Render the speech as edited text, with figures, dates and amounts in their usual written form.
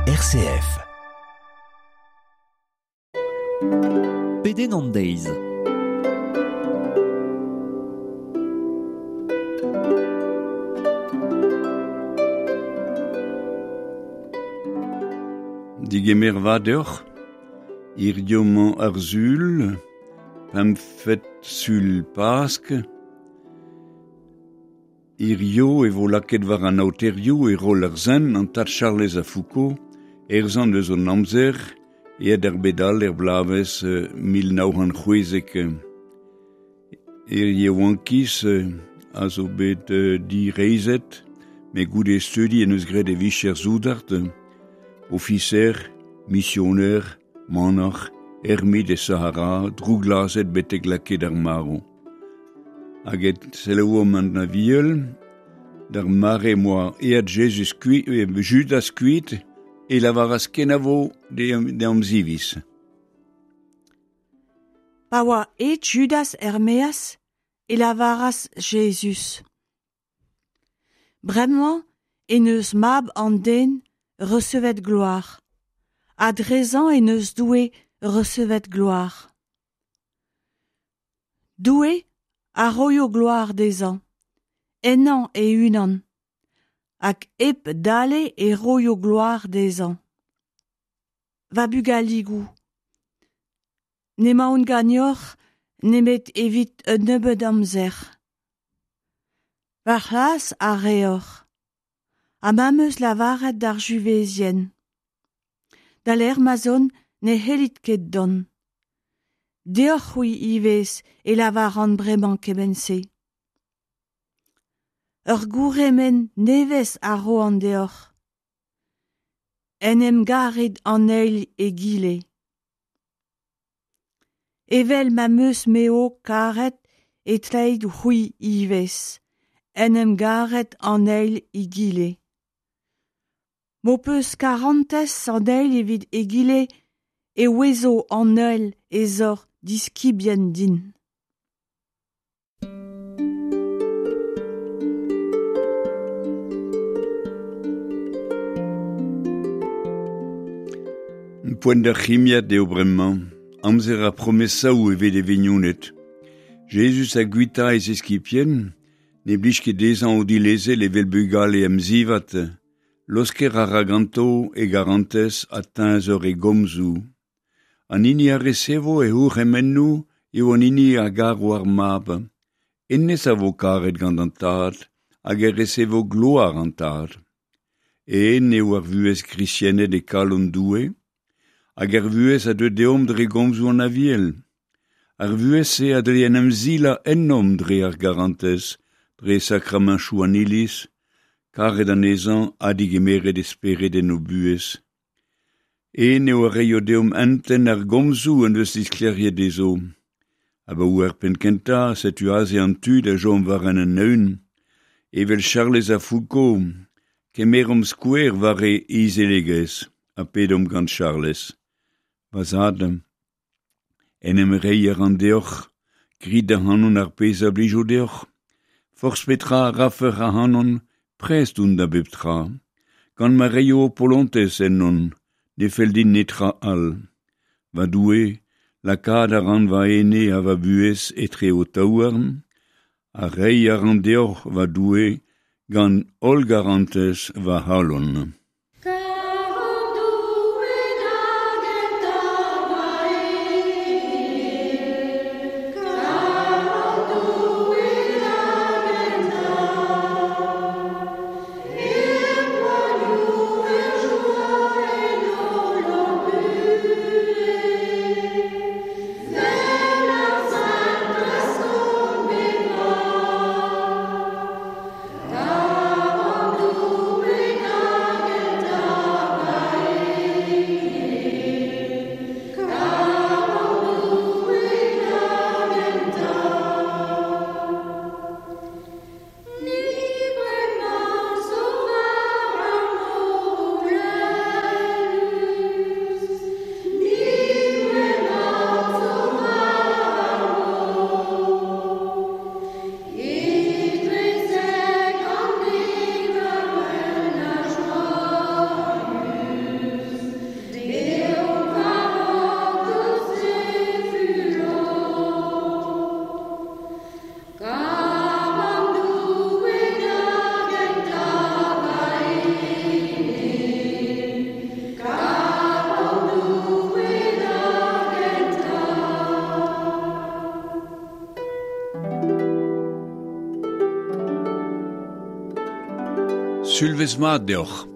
RCF. Pedenn an deiz. Digemer vat deoc'h, hiziv 'mañ ar Sul, pempvet Sul Pask. Hiziv e vo lakaet war an aoterioù e roll ar sent an tad Charlez a Foucault, er sant eus an amzer, aet er bed all er bloavezh 1916. Er yaouankiz a zo bet direizhet, met goude studi en deus graet e vicher soudard, ofiser, misioner, manac'h, ermit e Sahara, drouglazhet betek lakaet ar marv. Hag e selaouomp an Aviel, d'ar mare m'oa aet Jezuz kuit, Judas kuit, e lavaras kenavo d'e amziviz. Pa oa aet Judas er-maez e lavaras Jezuz: Bremañ en deus Mab an Den resevet gloar, ha drezañ en deus Doue resevet gloar. Doue a roio gloar dezhañ, ennañ e-unan, hag hep dale e roio gloar dezhañ. Va bugaligoù, n'emaon ganeoc'h nemet evit un nebeud amzer. Va c'hlas a reoc'h, ha ma'm eus lavaret d'ar Juvezien. Da lec'h ma'z on ne c'hellit ket dont. Deoc'h-c'hwi ivez e lavaran bremañ kement-se. Ur gourhemenn nevez a roan deoc'h. En em garit an eil egile. Evel ma'm eus me ho karet e tleit c'hwi ivez en em garet an eil egile. M'ho peus karantez an eil evit egile e ouezo an holl ez oc'h diskibien din. Poent d'ar c'himiad eo bremañ, amzer ar promesaoù evit e vignoned. Jezuz a guita e zeskibien, ne blij ket dezhañ o dilezel evel bugale emzivat. Laosker a ra ganto e garantez ha teñzor e gomzoù. An hini a resevo e c'hourc'hemennoù eo an hini a garo ar mab. Hennezh a vo karet gant an Tad hag e resevo gloar an Tad. Eeun eo ar vuhez gwriziennet e kalon Doue, hag ar vuhez a deu deomp dre gomzoù an Aviel. Ar vuhez-se a dle en em silañ ennomp dre ar garantez, dre sakramañchoù an Iliz, karet anezhañ ha degemeret e spered en o buhez. En eo a reio deomp hentenn ar gomzoù en deus disklêriet dezho. Abaoe ar penn-kentañ setu aze an tu da chom war an eeun. Evel Charlez a Foucault, kemeromp skouer war e izelegezh ha pedomp gant Charlez. Va zad, en em reiñ a ran deoc'h, grit ac'hanon ar pezh a blijo deoc'h. Forzh petra a rafec'h ac'hanon, prest on da bep tra. Gant ma reio ho polontez ennon, ne fell din netra all. Va Doue, lakaat a ran va ene ha va buhez etre ho taouarn, ha reiñ a ran deoc'h, va Doue, gant holl garantez va c'halon. Sulvezh mat deoc'h.